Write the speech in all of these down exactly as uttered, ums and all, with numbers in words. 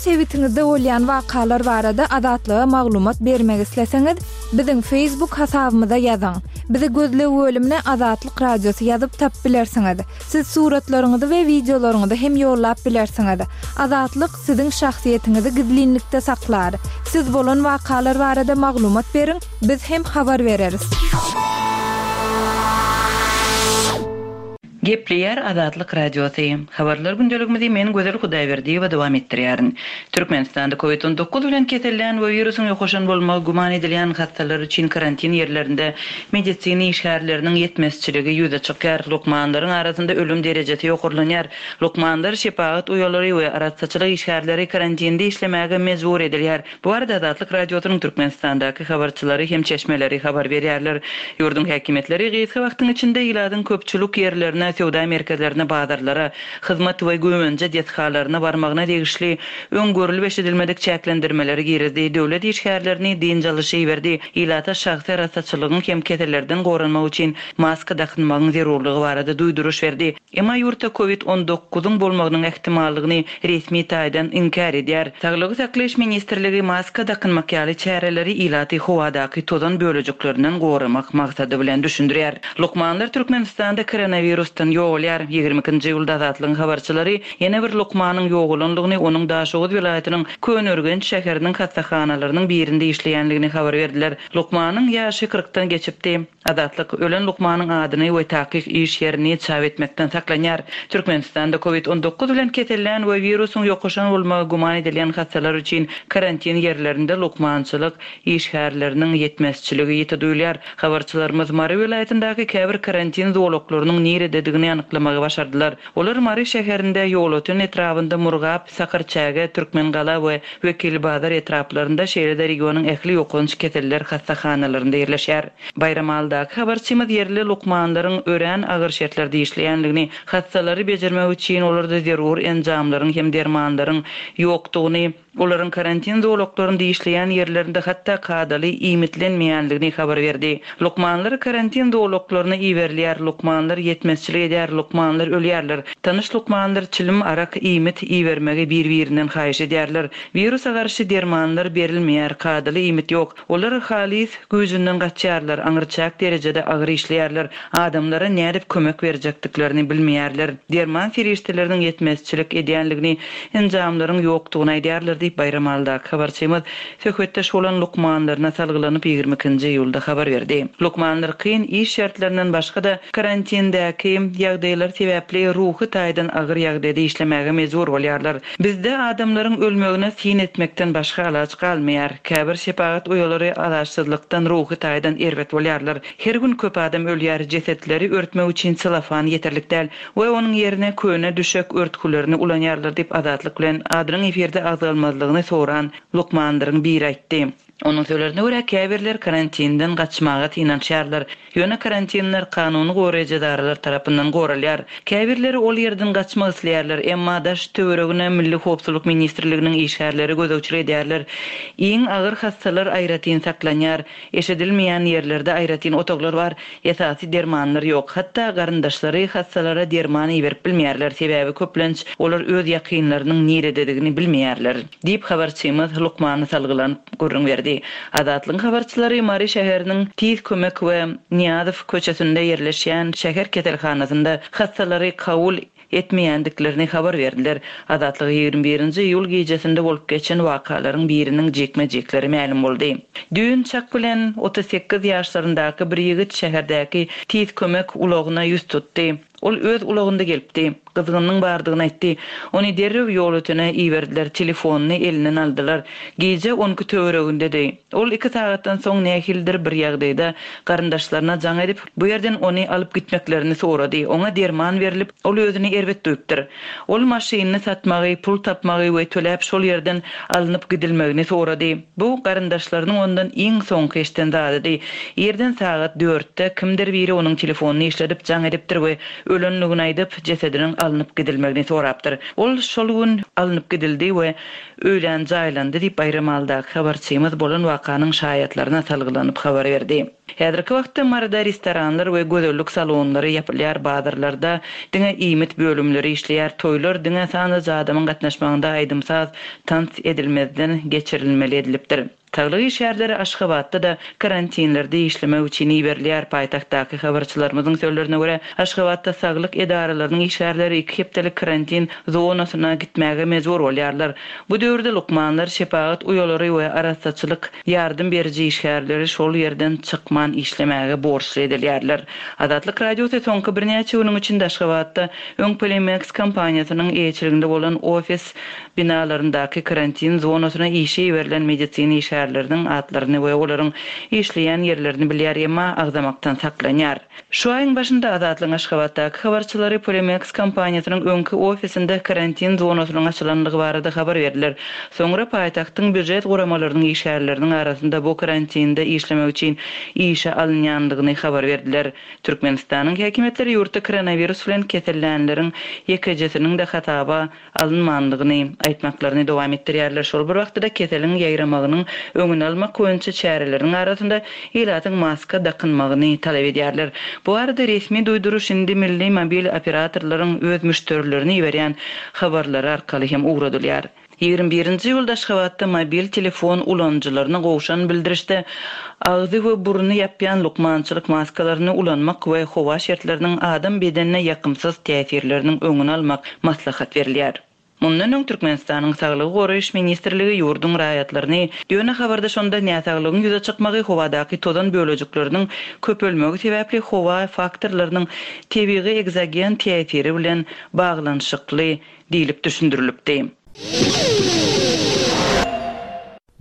Öz sebitiňizde bolýan wakalar barada Azatlyga maglumat bermek isleseňiz, biziň Facebook hasabymyza ýazyň. Bizi gözleg bölümine Azatlyk Radiosy ýazyp tapyp bilersiňiz. Siz suratlaryňyzy we wideolaryňyzy hem ýollap bilersiňiz. Azatlyk siziň şahsyýetiňizi gizlinlikde saklar. Siz bolan wakalar barada maglumat beriň, biz hem habar bereris. Gepleýär Azatlyk Radiosy. Habarlar gündeligimizi men Gözel Hudaýberdiýewa dowam etdirýärin. Türkmenistanda COVID on dokuz bilen kesellän we wirusyň ýokaşan bolmagy güman edilýän hassalar üçin karantin ýerlerinde medisina işgärleriniň ýetmezçiligi ýüze çykýar. Lukmanlaryň arasynda ölüm derejesi ýokarlanýar. Lukmanlar, şepagat uýalary we arassaçylyk işgärleri karantinde işlemäge mejbur edilýär. Bu arada Azatlyk Radiosynyň Türkmenistandaky habarçylary hem çeşmeleri habar berýärler. Ýurduň häkimiýetleri gysga wagtyň içinde ilatyň köpçülik ýerlerine, söwda merkezlerine, bazarlara, hyzmat we güwänje desgalaryna barmagyna degişli öň görülip eşidilmedik çäklendirmeleri girizdi. Döwlet işgärlerini dynç alyşy berdi. Ilata şahsy arassaçylygyň hem kesellerden goranmak üçin maska dakynmagyň zerurlygy barada duýduryş berdi. Emma ýurtda COVID on dokuzyň bolmagynyň ähtimallygyny resmi taýdan inkär edýär. Saglygy saklaýyş ministrligi maska dakynmak ýaly çäreleri ilaty howadaky tozan bölejiklerinden goramak maksady bilen düşündirýär. Lukmanlar Türkmenistanda koronavirusdan ýogalýar. Ýigrimi ikinji ýylda Azatlygyň habarçylary ýene bir lukmanyň ýogalanlygyny onuň Daşoguz welaýatynyň Köneürgenç şäheriniň hassahanalarynyň birinde işleýänligini habar berdiler. Lukmanyň ýaşy kyrkdan geçipdi. Azatlyk ölen lukmanyň adyny we takyk iş ýerini çap etmekden saklanýar. Türkmenistanda COVID on dokuz bilen kesellän we wirusyň ýokaşan bolmagy güman edilýän hassalar üçin karantin ýerlerinde lukmançylyk işgärleriniň ýetmezçiligi ýiti duýulýar. Habarçylarymyz Mary welaýatyndaky käbir karantin zolaklarynyň nirededigini anyklamagy başardylar. Olar Mary şäherinde, Ýolöten etrabynda, Murgap, Sakarçäge, Türkmengala we Wekilbazar etraplarynda, şeýle-de regionyň ähli ýokanç keseller hassahanalarynda ýerleşýär. Baýramalydaky habarçymyz ýerli lukmanlaryň örän agyr şertlerde işleýänligini, hassalary bejermek üçin olarda zerur enjamlaryň hem dermanlaryň ýokdugyny, olaryň karantin zolaklarynda işleýän ýerlerinde hatda kadaly iýmitlenmeýänligini habar berdi. Lukmanlar karantin zolaklaryna iberilýär, lukmanlar ýetmezçilik edýär, lukmanlar ölýärler. Tanyş lukmanlar çilim, arak, iýmit ibermegi bir-birinden haýyş edýärler. Wirusa garşy dermanlar berilmeýär, kadaly iýmit ýok. Olar halis güýjünden gaçýarlar, aňyrçak derejede agyr işleýärler. Adamlara nädip kömek berjekdiklerini bilmeýärler. Derman serişdeleriniň ýetmezçilik edýänligini, enjamlaryň ýokdugyny aýdýarlar diýip Baýramalydaky habarçymyz söhbetdeş bolan lukmanlaryna salgylanyp ýigrimi ikinji iýulda habar berdi. Lukmanlar kyn iş şertlerinden başga-da karantindäki ýagdaýlar sebäpli ruhy taýdan agyr ýagdaýda işlemäge mejbur bolýarlar. Bizde adamlaryň ölmegine syn etmekden başga alaç galmaýar. Käbir şepagat uýalary alaçsyzlykdan ruhy taýdan erbet bolýarlar. Her gün köp adam ölýär, jesetleri örtmek üçin selofan ýeterlik däl we onuň ýerine köne düşek örtgülerini ulanýarlar diýip Azatlyk bilen adynyň efirde agzalmazlygyny soran lukmanlaryň biri aýtdy. Onuň sözlerine görä käbirler karantinden gaçmaga synanyşýarlar. Ýöne karantinler kanuny goraýjy edaralar tarapyndan goralýar. Käbirleri ol ýerden gaçmak isleýärler, emma daş töweregine Milli Howpsuzlyk Ministrliginiň işgärleri gözegçilik edýärler. Iň agyr hassalar aýratyn saklanýar. Eşidilmeýän ýerlerde aýratyn otaglar bar, esasy dermanlar ýok. Hatda garyndaşlary hassalara derman iberip bilmeýärler, sebäbi köplenç olar öz ýakynlarynyň nirededigini bilmeýärler diýip habarçymyz lukmany salgylanyp gürrüň berdi. Azatlygyň habarçylary Mary şäheriniň Tiz kömek we Niýazow köçesinde ýerleşýän şäher keselhanasynda hassalary kabul etmeýändiklerini habar berdiler. Azatlyk ýigrimi birinji iýul gijesinde bolup geçen wakalaryň biriniň jikme-jikleri mälim boldy. Düýn çak bilen otuz sekiz ýaşlaryndaky bir ýigit şäherdäki tiz kömek ulagyna ýüz tutdy. Ol öz ulagynda gelipdi. Gyzgynlygyň bardygyny aýtdy. Ony derrew Ýolötene iberdiler, telefonyny elinden aldylar. Gije on iki töweregindedi. Ol iki sagatdan soň nähilidir bir ýagdaýda garyndaşlaryna jaň edip, bu ýerden ony alyp gitmeklerini sorady. Oňa derman berilip, ol özüni erbet duýupdyr. Ol maşynyny satmagy, pul tapmagy we töläp şol ýerden alnyp gidilmegini sorady. Bu garyndaşlarynyň ondan iň soňky eşiden zadydy. Ýerden sagat dörtde kimdir biri onuň telefonyny işledip jaň edipdir we ölenligini aýdyp, jesediniň alnyp gidilmegini sorapdyr. Ol şol gün alnyp gidildi we öýlän jaýlandy diýip Baýramalydaky habarçymyz bolan wakanyň şaýatlaryna salgylanyp habar berdi. Häzirki wagtda Maryda restoranlar we gözellik salonlary ýapylýar, bazarlarda diňe iýmit bölümleri işleýär, toýlar diňe sanly adamyň gatnaşmagynda aýdym-saz tans edilmezden geçirilmeli edilipdir. Saglyk işgärleri Aşgabatda-da karantinlerde işlemek üçin iberilýär. Paýtagtdaky habarçylarymyzyň sözlerine görä, Aşgabatda saglyk edaralarynyň işgärleri iki hepdelik karantin zonasyna gitmäge mejbur bolýarlar. Bu döwürde lukmanlar, şepagat uýalary we arassaçylyk ýardam beriji işgärleri şol ýerden çykman işlemäge borçly edilýärler. Azatlyk Radiosy soňky birnäçe günüň içinde Aşgabatda öň Polimeks kompaniýasynyň eýeçiliginde bolan ofis binalaryndaky karantin zonasyna işe iberilen medisina işgärleriniň atlaryny we olaryň işleýän ýerlerini bilýär, emma agzamakdan saklanýar. Şu aýyň başynda Azatlygyň Aşgabatdaky habarçylary Polimeks kompaniýasynyň öňki ofisinde karantin zonasynyň açylandygy barada habar berdiler. Soňra paýtagtyň býujet guramalarynyň işgärleriniň arasynda bu karantinde işlemek üçin işe alynýandygyny habar berdiler. Türkmenistanyň häkimiýetleri ýurtda koronawirus bilen kesellänleriň ýekejesiniň-de hasaba alynmandygyny aýtmaklaryny dowam etdirýärler. Şol bir wagtda keseliň ýaýramagynyň öňüni almak boýunça çäreleriň arasynda ilatyň maska dakynmagyny talap edýärler. Bu arada resmi duýduryş indi milli mobil operatorlaryň öz müşderilerini iberýän habarlary arkaly hem ugradylýar. Ýigrimi birinji ýylda Aşgabatda mobil telefon ulanyjylaryna gowşan bildirişde agzy we burny ýapýan lukmançylyk maskalaryny ulanmak we howa şertleriniň adam bedenine ýakymsyz täsirleriniň öňüni almak maslahat berilýär. Mundan öň Türkmenistanyň Saglygy goraýyş ministrligi ýurduň raýatlaryny ýöne habarda şonda näsaglygyň ýüze çykmagy howadaky tozan bölejikleriniň köpelmegi sebäpli howa faktorlarynyň tebigy ekzogen täsiri bilen baglanyşykly diýlip düşündirilipdi.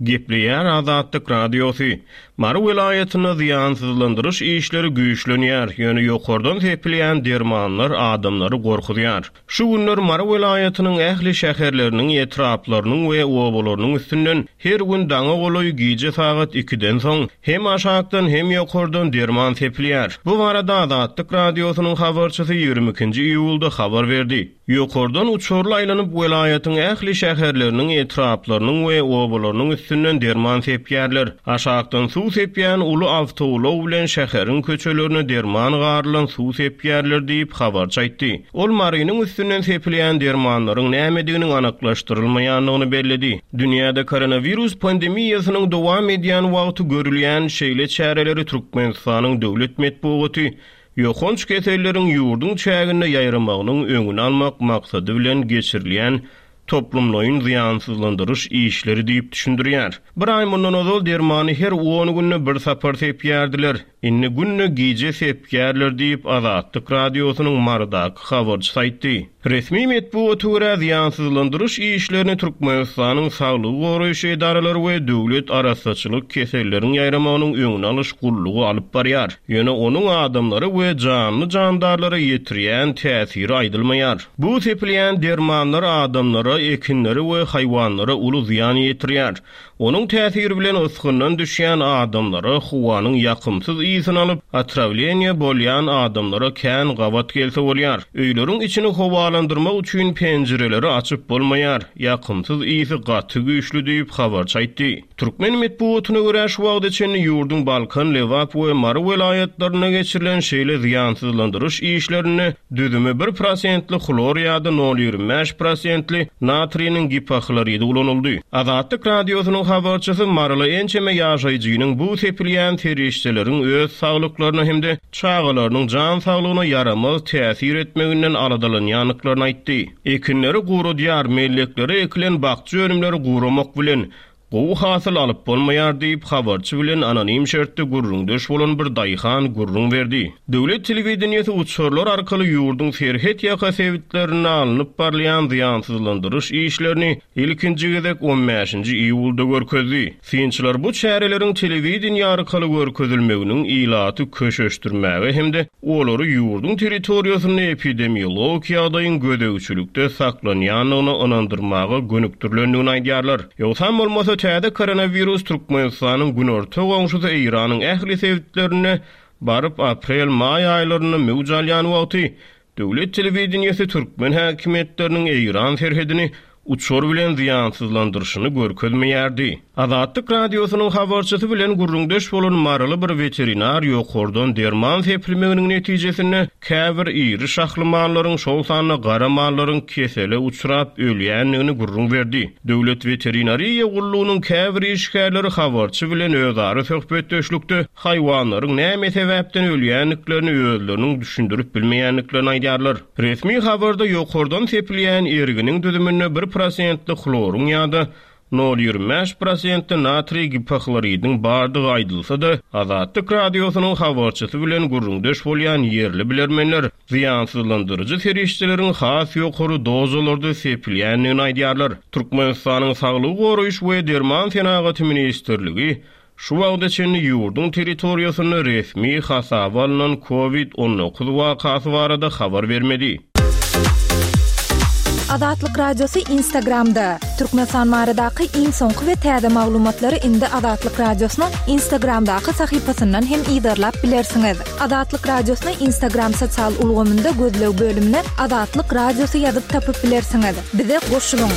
Gepleýär Azatlyk Radiosy. Mary welaýatynda zyýansyzlandyryş işleri güýçlenýär, ýöne ýokardan sepilýän dermanlar adamlary gorkuzýar. Şu günler Mary welaýatynyň ähli şäherleriniň, etraplarynyň we obalarynyň üstünden her gün daňa golaý gije sagat ikiden soň hem aşakdan hem ýokardan derman sepilýär. Bu barada Azatlyk Radiosynyň habarçysy ýigrimi ikinji iýulda habar berdi. Ýokardan uçarly aýlanyp welaýatyň ähli şäherleriniň, etraplarynyň we obalarynyň üstünden derman sepýärler. Aşakdan suw sepýän uly awtoulag bilen şäheriň köçelerine derman garylan suw sepýärler diýip habarçy aýtdy. Ol Marynyň üstünden sepilýän dermanlaryň nämediginiň anyklaşdyrylmaýandygyny belledi. Dünýäde koronawirus pandemiýasynyň dowam edýän wagty görülýän şeýle çäreleri Türkmenistanyň döwlet metbugaty ýokanç keselleriň ýurduň çäginde ýaýramagynyň öňüni almak maksady bilen geçirilýän toplumlaýyn zyýansyzlandyryş işleri diýip düşündirýär. Bir aý mundan ozal dermany her on günde bir sapar sepýärdiler. Indi günde gije sepýärler diýip Azatlyk Radiosynyň Marydaky habarçysy aýtdy. Resmi metbugata görä zyýansyzlandyryş işlerini Türkmenistanyň Saglygy goraýyş edaralary we döwlet arassaçylyk keselleriň ýaýramagynyň öňüni alyş gullugy alyp barýar. Ýöne onuň adamlary we janly jandarlara ýetirýän täsiri aýdylmaýar. Bu sepilýän dermanlar adamlara, ekinlere we haýwanlara uly zyýan ýetirýär. Onuň täsiri bilen ysgyndan düşýän adamlara howanyň ýakymsyz ysyn alyp, otrawleniýe bolýan adamlara kän gabat gelse bolýar. Öýleriň içini howalandyrmak üçin penjireleri açyp bolmaýar. Ýakymsyz ysy gaty güýçli diýip habarçy aýtdy. Türkmen metbugatyna görä şu wagta çenli ýurduň Balkan, Lebap we Mary welaýatlarynda geçirilen şeýle zyýansyzlandyryş işlerinde düzümi bir prosentli hlor ýa-da nol ýigrimi bäş prosentli natriniň gipohloridi ulanyldy. Azatlyk Radiosynyň habarçysy Maryly ençeme ýaşaýjynyň bu sepilýän serişdeleriň öz saglyklaryna hem-de çagalarynyň jan saglygyna ýaramaz täsir etmeginden aladalanýandyklaryny aýtdy. Ekinleri guradýar, melleklere ekilen bakja önümleri guramak bilen gowy hasyl alyp bolmaýar diýip habarçy bilen anonim şertde gürrüňdeş bolan bir daýhan gürrüň berdi. Döwlet telewideniýesi uçarlar arkaly ýurduň serhet ýaka sebitlerinde alnyp barylýan zyýansyzlandyryş işlerini ilkinji gezek on bäşinji iýulda görkezdi. Synçylar bu çäreleriň telewideniýe arkaly görkezilmeginiň ilaty köşeşdirmäge hem-de olary ýurduň territoriýasynda epidemiologik ýagdaýyň gözegçilikde saklanýandygyna ynandyrmaga gönükdirilendigini aýdýarlar. Ýogsam bolmasa täze koronawirus Türkmenistanyň günorta goňşusy Eýranyň ähli sebitlerinde baryp aprel-maý aýlarynda möwç alýan wagty döwlet telewideniýesi türkmen häkimiýetleriniň Eýran serhedini uçar bilen zyýansyzlandyryşyny görkezmeýärdi. Azatlyk Radiosynyň habarçysy bilen gürrüňdeş bolan maryly bir weterinar ýokardan derman sepilmeginiň netijesinde käbir iri şahly mallaryň, şol sanda gara mallaryň kesele uçrap ölýändigini gürrüň berdi. Döwlet weterinariýa gullugynyň käbir işgärleri habarçy bilen özara söhbetdeşlikde haýwanlaryň näme sebäpden ölýändiklerini özleriniň düşündirip bilmeýändiklerini aýdýarlar. Resmi habarda ýokardan sepilýän erginiň düzüminde bir prosentli hloryň ýa-da nol ýigrimi bäş prosentli natriý gipohloridiň bardygy aýdylsa-da, Azatlyk Radiosynyň habarçysy bilen gürrüňdeş bolýan ýerli bilermenler zyýansyzlandyryjy serişdeleriň has ýokary dozalarda sepilýändigini aýdýarlar. Türkmenistanyň Saglygy goraýyş we derman senagaty ministrligi şu wagta çenli ýurduň territoriýasynda resmi hasaba alynan COVID on dokuz wakasy barada habar bermedi. Azatlyk Radiosy Instagramda. Türkmenistan baradaky iň soňky we täze maglumatlary indi Azatlyk Radiosynyň Instagramdaky sahypasyndan hem yzarlap bilersiňiz. Azatlyk Radiosyny Instagram sosial ulgamynda gözleg bölümine Azatlyk Radiosy ýazyp tapyp bilersiňiz. Bize goşulyň.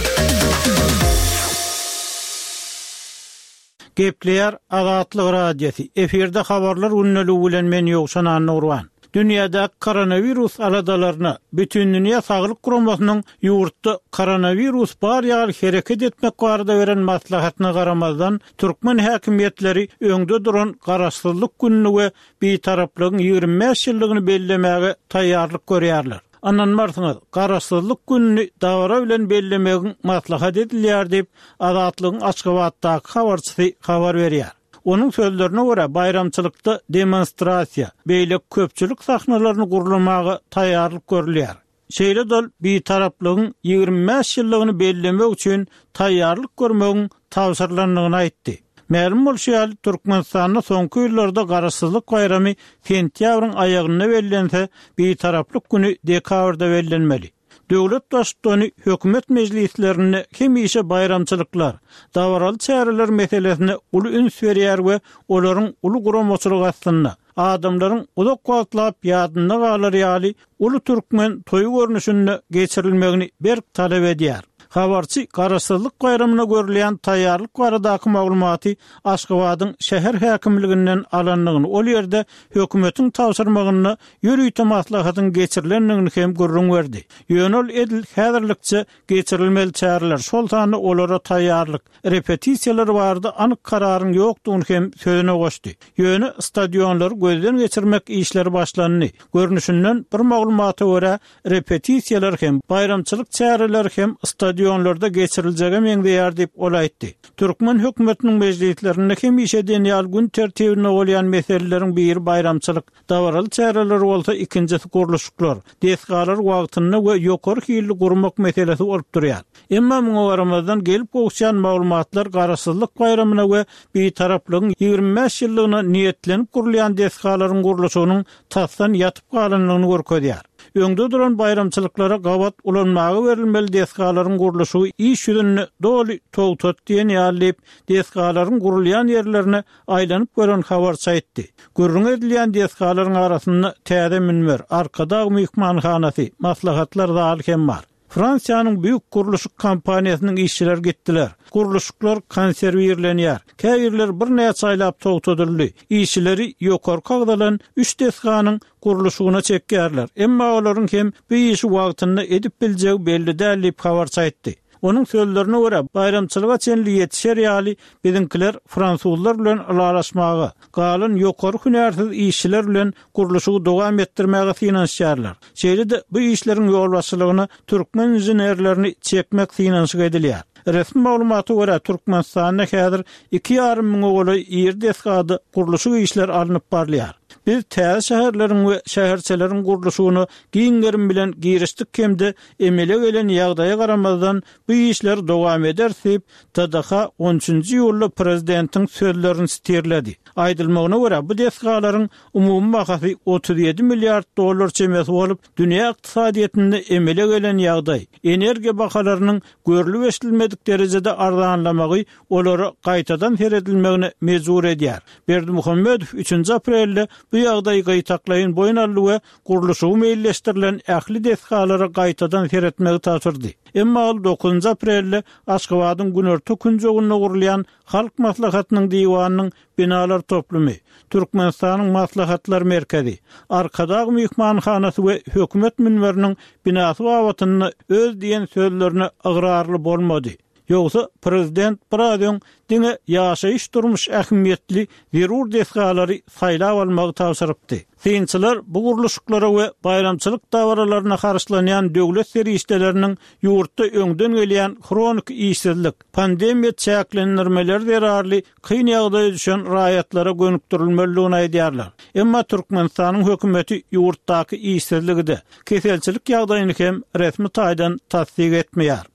Gepleýär Azatlyk Radiosy. Efirde habarlar gündeligi bilen men Ýowşan Annurwan. Dünýäde koronavirus aladalaryna Bütindünýä Saglyk Guramasynyň ýurtda koronavirus bar ýaly hereket etmek barada beren maslahatyna garamazdan türkmen häkimiýetleri öňde duran garaşsyzlyk gününi we bitaraplygyň ýigrimi bäş ýyllygyny bellemäge taýýarlyk görýärler. Ynanmarsyňyz, garaşsyzlyk gününi dabara bilen bellemegiň maslahat edilýär diýip Azatlygyň Aşgabatdaky habarçysy habar berýär. Onuň sözlerine görä baýramçylykda demonstrasiýa, beýleki köpçülik sahnalaryny gurlamaga taýýarlyk görülýär. Şeýle dol bitaraplygyň ýigrimi bäş ýyllygyny bellemek üçin taýýarlyk görmegiň tabşyrylandygyny aýtdy. Mälim bolşy ýaly Türkmenistanda soňky ýyllarda garaşsyzlyk baýramy sentýabryň aýagynda bellense, bitaraplyk günü dekabrda bellenmeli. Döwlet baştutany hökümet mejlislerinde hemişe baýramçylyklar, dabaraly çäreler meselesine uly üns berýär we olaryň uly guramaçylyk astynda adamlaryň uzak wagtlap ýadynda galar ýaly uly türkmen toýy görnüşinde geçirilmegini berk talap edýär. Habarçy garaşsyzlyk baýramyna görülýän taýýarlyk baradaky maglumaty Aşgabadyň şäher häkimliginden alandygyny, ol ýerde hökümetiň tabşyrmagynda ýörite maslahatyň geçirilendigini hem gürrüň berdi. Ýöne ol edil häzirlikçe geçirilmeli çäreler, şol sanda olara taýýarlyk, repetisiýalar barada anyk kararyň ýokdugyny hem sözüne goşdy. Ýöne stadionlary gözden geçirmek işleri başlandy. Görnüşinden bir maglumata görä repetisiýalar hem baýramçylyk çäreleri hem stadionlarda geçiriljege meňzeýär diýip ol aýtdy. Türkmen hökümetiniň mejlislerinde hemişe diýen gün tertibinde bolýan meseleleriň biri baýramçylyk, dabaraly çäreler bolsa ikinjisi gurluşyklar, desgalar wagtynda we ýokary hilli gurmak meselesi bolup durýar. Emma muňa garamazdan gelip gowuşýan maglumatlar garaşsyzlyk baýramyna we bitaraplygyň ýigrimi bäş ýyllygyna niýetlenip gurulýan desgalaryň gurluşygynyň tasdan ýatyp galandygyny görkezýär. Öňde duran baýramçylyklara gabat ulanmaga berilmeli desgalaryň gurluşygy iş ýüzünde doly togtat diýen ýaly diýip, desgalaryň gurulýan ýerlerine aýlanyp gören habarçy aýtdy. Gürrüň edilýän desgalaryň arasynda täze münber, Arkadag myhmanhanasy, maslahatlar zaly hem bar. Fransiýanyň büyük gurluşyk kompaniýasynyň işçileri gitdiler. Gurluşyklar konserwirlenýär. Käbirler bir näçe aýlap togtadyldy. Işçileri ýokarky agzalan üç desganyň gurluşygyna çekýärler. Emma olaryň hem bu işi wagtynda edip biljegi belli däl diýip habarçy aýtdy. Onuň sözlerine görä baýramçylyga çenli ýetişer ýaly biziňkiler fransuzlar bilen ylalaşmaga, galan ýokary hünärsiz işçiler bilen gurluşygy dowam etdirmäge synanyşýarlar. Şeýle-de bu işleriň ýolbaşçylygyna türkmen inženerlerini çekmek synanyşyk edilýär. Resmi maglumata görä Türkmenistanda häzir iki ýarym müňe golaý iri desgada gurluşyk işleri alnyp barylýar. Biz täze şäherleriň we şäherçeleriň gurluşygyna giň gerim bilen girişdik hem-de emele gelen ýagdaýa garamazdan bu işler dowam eder diýip T D H on üçünji iýulda prezidentiň sözlerini sitirledi. Aýdylmagyna görä bu desgalaryň umumy bahasy otuz ýedi milliard dollar çemesi bolup, dünýä ykdysadyýetinde emele gelen ýagdaý, energiýa bahalarynyň görlüp eşidilmedik derejede arzanlamagy olara gaýtadan seredilmegine mejbur edýär. Berdimuhamedow üçünji aprelde Bu ýagdaý gaýtaklaýyn boýun aldy we gurluşygy meýilleşdirilen ähli desgalara gaýtadan seretmegi tabşyrdy. Emma ol dokuzynjy aprelde Aşgabadyň günorta künjeginde gurulýan Halk Maslahatynyň diwanynyň binalar toplumy, Türkmenistanyň Maslahatlar merkezi, Arkadag myhmanhanasy we hökümet münberiniň binasy babatynda öz diýen sözlerine ygrarly bolmady. Ýogsa prezident biraz öň diňe ýaşaýyş durmuş ähmiýetli zerur desgalary saýlap almagy tabşyrypdy. Synçylar bu gurluşyklara we baýramçylyk dabaralaryna harçlanýan döwlet serişdeleriniň ýurtda öňden gelýän hronik işsizlik, pandemiýa çäklendirmeleri zerarly kyn ýagdaýa düşen raýatlara gönükdirilmelidigini aýdýarlar. Emma Türkmenistanyň hökümeti ýurtdaky işsizligi-de, keselçilik ýagdaýyny hem resmi taýdan tassyk etmeýär.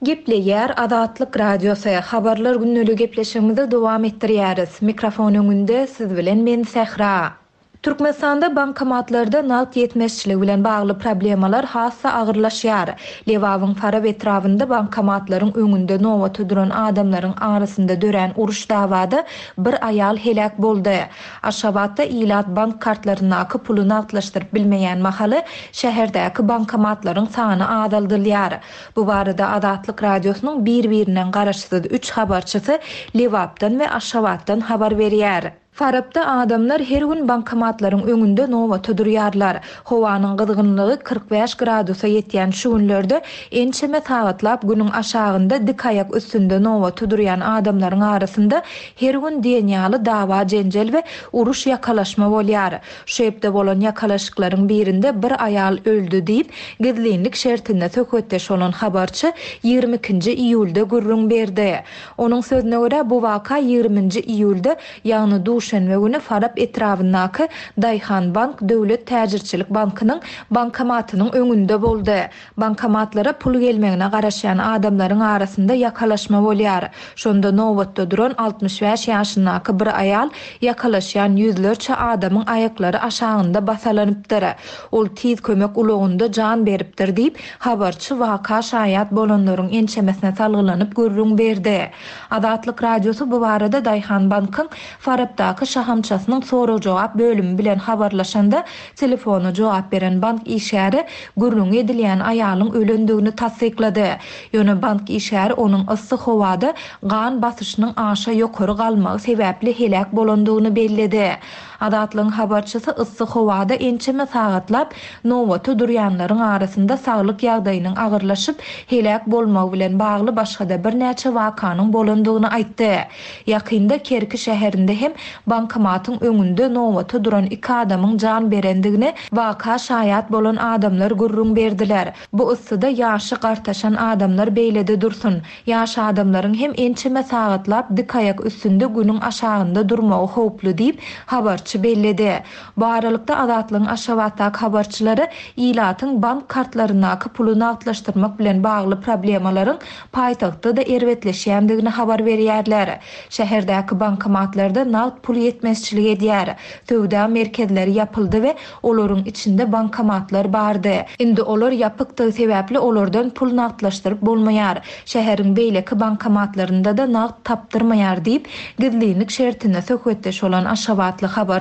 Gepleýär Azatlyk Radiosy. Habarlar günlügi gepleşigimizi dowam etdirýäris. Mikrofon öňünde siz bilen men Sähra. Türkmenistanda bankomatlarda nagt ýetmezçiligi bilen bagly problemalar has-da agyrlaşýar. Lebabyň Farap etrabynda bankomatlaryň öňünde nobata duran adamlaryň arasynda dörän uruş dawada bir aýal heläk boldy. Aşgabatda ilat bank kartlaryndaky puly nagtlaşdyryp bilmeýän mahaly şäherdäki bankomatlaryň sany azaldylýar. Bu barada Azatlyk Radiosynyň bir-birinden garaşsyz üç habarçysy Lebapdan we Aşgabatdan habar berýär. Farapda adamlar her gün bankomatlaryň öňünde nobata durýarlar. Howanyň gyzgynlygy kyrk bäş gradusa ýetýän şu günlerde ençeme sagatlap günüň aşagynda dik aýak üstünde nobata durýan adamlaryň arasynda her gün diýen ýaly dawa jenjel we uruş ýakalaşma bolýar. Şu hepde bolan ýakalaşyklaryň birinde bir aýal öldi diýip, gizlinlik şertinde söhbetdeş bolan habarçy ýigrimi ikinji iýulda gürrüň berdi. Onuň sözüne görä bu waka ýigriminji iýulda, ýagny duşenbe güni Farap etrabyndaky Daýhan Bank Döwlet Täjirçilik Bankynyň bankomatynyň öňünde boldy. Bankomatlara pul gelmegine garaşýan adamlaryň arasynda ýakalaşma bolýar. Şonda nobatda duran altmyş bäş ýaşyndaky bir aýal ýakalaşýan ýüzlerçe adamyň aýaklary aşagynda basalanypdyr. Ol tiz kömek ulagynda jan beripdir diýip, habarçy waka şaýat bolanlaryň ençemesine salgylanyp gürrüň berdi. Azatlyk Radiosy bu barada Daýhan Bankyň Farapdaky şahamçasynyň sorag-jogap bölümi bilen habarlaşanda telefona jogap beren bank işgäri gürrüň edilýän aýalyň ölendigini tassyklady. Ýöne bank işgäri onuň yssy howada gan basyşynyň aşa ýokary galmagy sebäpli heläk bolandygyny belledi. Azatlygyň habarçysy yssy howada ençeme sagatlap nobata durýanlaryň arasynda saglyk ýagdaýynyň agyrlaşyp heläk bolmagy bilen bagly başga-da birnäçe wakanyň bolandygyny aýtdy. Ýakynda Kerki şäherinde hem bankomatyň öňünde nobata duran iki adamyň jan berendigini waka şaýat bolan adamlar gürrüň berdiler. Bu yssyda ýaşy gartaşan adamlar beýlede dursun. Ýaş adamlaryň hem ençeme sagatlap dik aýak üstünde günüň aşagynda durmagy howply diýip habarçy belledi. Bu aralykda Azatlygyň Aşgabatdaky habarçylary ilatyň bank kartlaryndaky puly nagtlaşdyrmak bilen bagly problemalaryň paýtagtda-da erbetleşýändigini habar berýärler. Şäherdäki bankomatlarda nagt pul ýetmezçilik edýär. Söwda merkezleri ýapyldy we olaryň içinde bankomatlar bardy. Indi olar ýapykdygy sebäpli olardan pul nagtlaşdyryp bolmaýar. Şäheriň beýleki bankomatlarynda-da nagt tapdyrmaýar diýip, gizlinlik şertinde söhbetdeş bolan Aşgabatly habarçy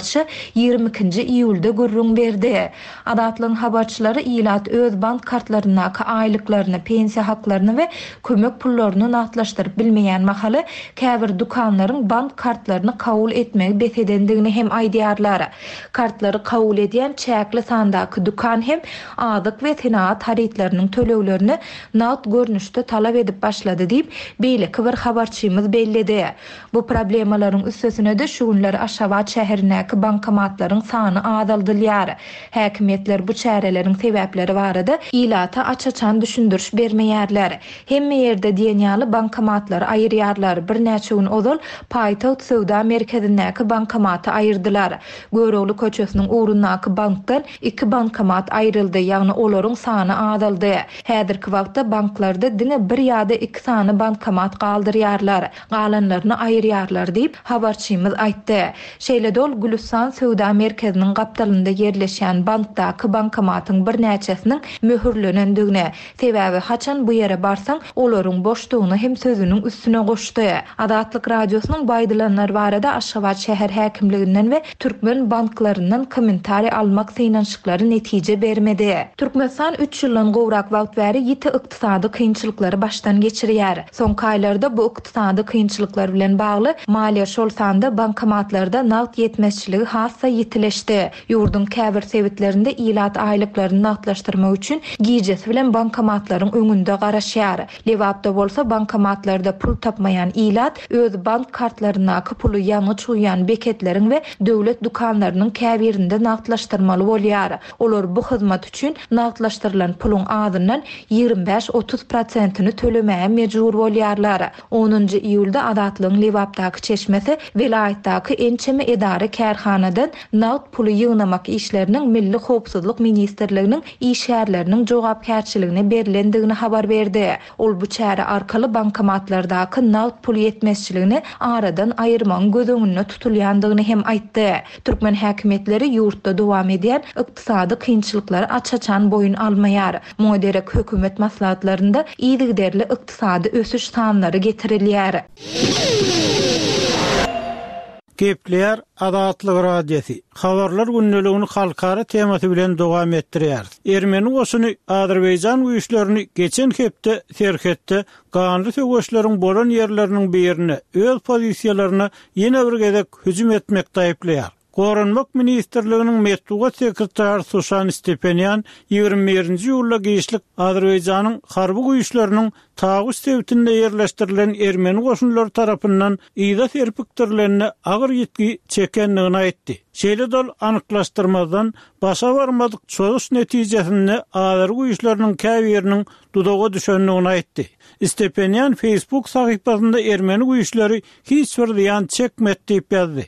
ýigrimi ikinji iýulda gürrüň berdi. Azatlygyň habarçylary ilat öz bank kartlaryndaky aýlyklaryny, pensiýa haklaryny we kömek pullaryny nagtlaşdyryp bilmeýän mahaly käbir dükanlaryň bank kartlaryny kabul etmegi bes edendigini hem aýdýarlar. Kartlary kabul edýän çäkli sandaky dükan hem azyk we senagat harytlarynyň töleglerini nagt görnüşde talap edip başlady diýip, beýleki bir habarçymyz belledi. Bu problemalaryň üstesine-de şu günler Aşgabat şäherindäki bankomatlaryň sany azaldylýar. Häkimiýetler bu çäreleriň sebäpleri barada ilata aç-açan düşündiriş bermeýärler. Hemme ýerde diýen ýaly bankomatlary aýyrýarlar. Birnäçe gün ozal paýtagt söwda merkezindäki bankomaty aýyrdylar. Görogly köçesiniň ugrundaky bankdan iki bankomat aýryldy, ýagny olaryň sany azaldy. Häzirki wagtda banklarda diňe bir ýa-da iki sany bankomat galdyrýarlar, galanlaryny aýyrýarlar diýip habarçymyz aýtdy. Şeýle-de ol Gülüstan söwda merkeziniň gapdalynda ýerleşýän bankdaky bankomatyň birnäçesiniň möhürlenendigini, sebäbi haçan bu ýere barsaň, olaryň boşdugyny hem sözüniň üstüne goşdy. Azatlyk Radiosynyň bu aýdylanlar barada Aşgabat şäher häkimliginden we türkmen banklaryndan kommentariý almak synanyşyklary netije bermedi. Türkmenistan üç ýyldan gowrak wagt bäri ýiti ykdysady kynçylyklary başdan geçirýär. Soňky aýlarda bu ykdysady kynçylyklar bilen bagly maliýe, şol sanda bankomatlarda nagt ýetmezçiligi has-da ýitileşdi. Ýurduň käbir sebitlerinde ilat aýlyklaryny nagtlaşdyrmak üçin gijesi bilen bankomatlaryň öňünde garaşýar. Lebapda bolsa bankomatlarda pul tapmaýan ilat öz bank kartlaryndaky puly ýangyç guýýan beketleriň we döwlet dükanlarynyň käbirinde nagtlaşdyrmaly bolýar. Olar bu hyzmat üçin nagtlaşdyrylan puluň azyndan ýigrimi bäş-otuz prosentini tölemäge mejbur bolýarlar. Onunjy iýulda Azatlygyň Lebapdaky çeşmesi welaýatdaky ençeme edara kärhanadan nagt puly ýygnamak işleriniň Milli Howpsuzlyk ministrliginiň işgärleriniň jogapkärçiligine berlendigini habar berdi. Ol bu çäre arkaly bankomatlardaky nagt pul ýetmezçiligini aradan aýyrmagyň göz öňünde tutulýandygyny hem aýtdy. Türkmen häkimiýetleri ýurtda dowam edýän ykdysady kynçylyklary aç-açan boýun almaýar. Muňa derek hökümet maslahatlarynda yzygiderli ykdysady ösüş sanlary getirilýär. Gepleýär Azatlyk Radiosy. Habarlar gündeligini halkara temasy bilen dowam etdirýär. Ermeni goşuny Azerbaýjan güýçlerini geçen hepde serhetde ganly söweşleriň bolan ýerleriniň birine öz pozisiýalaryna ýene bir gezek hüjüm etmekde aýyplaýar. Goranmak ministrliginiň metbugat sekretary Suşan Stepenýan ýigrimi birinji iýulda giçlik Azerbaýjanyň harby güýçleriniň Taguş sebitinde ýerleşdirilen ermeni goşunlary tarapyndan yza serpikdirilenine agyr ýitgi çekendigini aýtdy. Şeýle dol anyklaşdyrmazdan başa barmadyk çozuş netijesinde Azer güýçleriniň käbiriniň duzaga düşendigini aýtdy. Stepenýan Facebook sahypasynda ermeni güýçleri hiç bir zyýan çekmedi diýip ýazdy.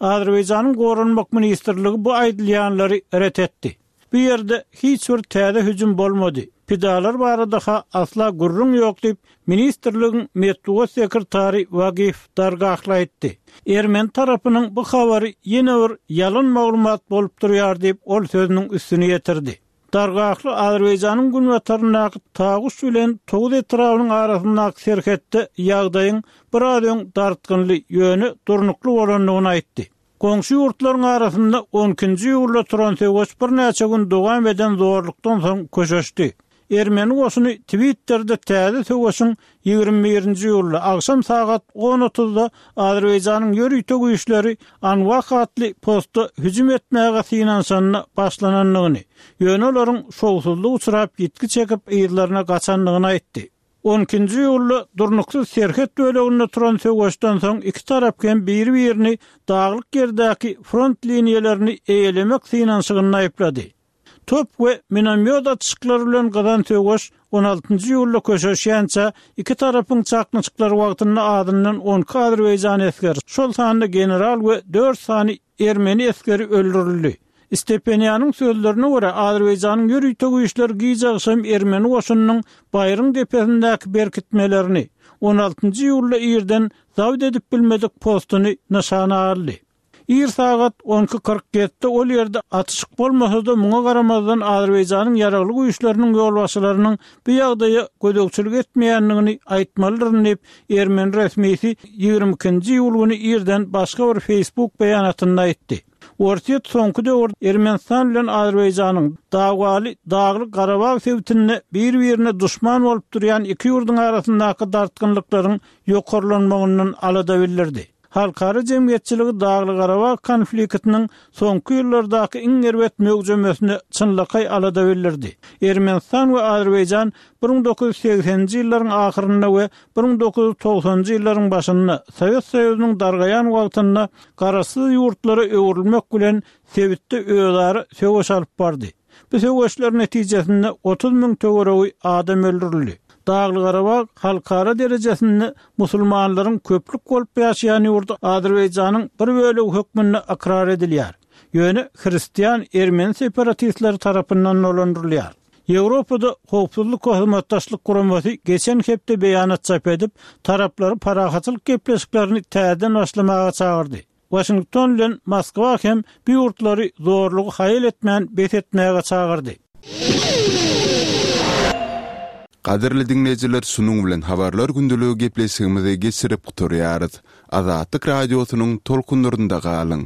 Azerbaýjanyň Goranmak ministrligi bu aýdylýanlary ret etdi. Bu ýerde hiç bir täze hüjüm bolmady. Pidalar barada-ha asla gürrüň ýok diýip, ministrligiň metbugat sekretary Wagif Dargahly aýtdy. Ermeni tarapynyň bu habary ýene bir ýalan maglumat bolup durýar diýip, ol sözüniň üstüni ýetirdi. Dargahly Azerbaýjanyň günbataryndaky Taguş bilen Toguz etrabynyň arasyndaky serhetde ýagdaýyň biraz öň dartgynly, ýöne durnukly bolandygyny aýtdy. Goňşy ýurtlaryň arasynda on ikinji iýulda turan söweş birnäçe gün dowam eden zorlukdan soň köşeşdi. Ermeni goşuny Twitter'de täze söweşiň ýigrimi birinji iýulda agşam sagat on otuzda Azerbaýjanyň ýörite güýçleri Anwah atly posta hüjüm etmäge synanyşanyna başlanandygyny, ýöne olaryň şowsuzlyk uçrap ýitgi çekip yzlaryna gaçandygyny aýtdy. On ikinji iýulda durnuksyz serhet böleginde turan söweşden soň iki tarap hem biri-birini daglyk ýerdäki front liniýalaryny eýelemek synanyşygyny aýyplady. Top we minomyot atyşyklary bilen gyzan söweş on altynjy iýulda köşeşýänçä iki tarapyň çaknyşyklary wagtynda azyndan on iki Azerbaýjan esgeri, şol sanda general we dört sany ermeni esgeri öldürildi. Stepenýanyň sözlerine görä Azerbaýjanyň ýörite güýçleri giç agşam ermeni goşunynyň Baýryň depesindäki berkitmelerini on altynjy iýulda irden zabt edip bilmedik postuny nyşana aldy. Ir sagat on iki kyrk ýedide ol ýerde atyşyk bolmasa-da muňa garamazdan Azerbaýjanyň ýaragly güýçleriniň ýolbaşçylarynyň bu ýagdaýa gözegçilik etmeýändigini aýtmalydyryn diýip, ermeni resmisi ýigrimi ikinji iýul güni irden başga bir Facebook beýanatynda aýtdy. Orsýet soňky döwür Ermenistan bilen Azerbaýjanyň dawaly Daglyk Garabag sebitinde bir-birine duşman bolup durýan iki ýurduň arasyndaky dartgynlyklaryň ýokarlanmagyndan alada bildirdi. Halkara jemgyýetçiligi Daglyk Garabag konfliktiniň soňky ýyllardaky iň erbet möwjemesine çynlakaý alada bildirdi. Ermenistan we Azerbaýjan bir müň dokuz ýüz segseninji ýyllaryň ahyrynda we bir müň dokuz ýüz togsanynjy ýyllaryň başynda Sowet Soýuzynyň dargaýan wagtynda garaşsyz ýurtlara öwrülmek bilen sebitde özara söweş alyp bardy. Bu söweşler netijesinde otuz müň töweregi adam öldürildi. Daglyk Garabag halkara derejesinde musulmanlaryň köplük bolup ýaşaýan ýurdy Azerbaýjanyň bir bölegi hökmünde ykrar edilýär. Ýöne hristian ermeni separatistleri tarapyndan dolandyrylýar. Ýewropada howpsuzlyk we hyzmatdaşlyk guramasy geçen hepde beýanat çap edip, taraplary parahatçylyk gepleşiklerini täzeden başlamaga çagyrdy. Waşington bilen Moskwa hem bu ýurtlary zorlugy haýal etmän bes etmäge çagyrdy. Gadyrly diňleýjiler, şunuň bilen Habarlar gündeligi gepleşigimizi geçirip gutarýarys. Azatlyk Radiosynyň tolkunlarynda galyň!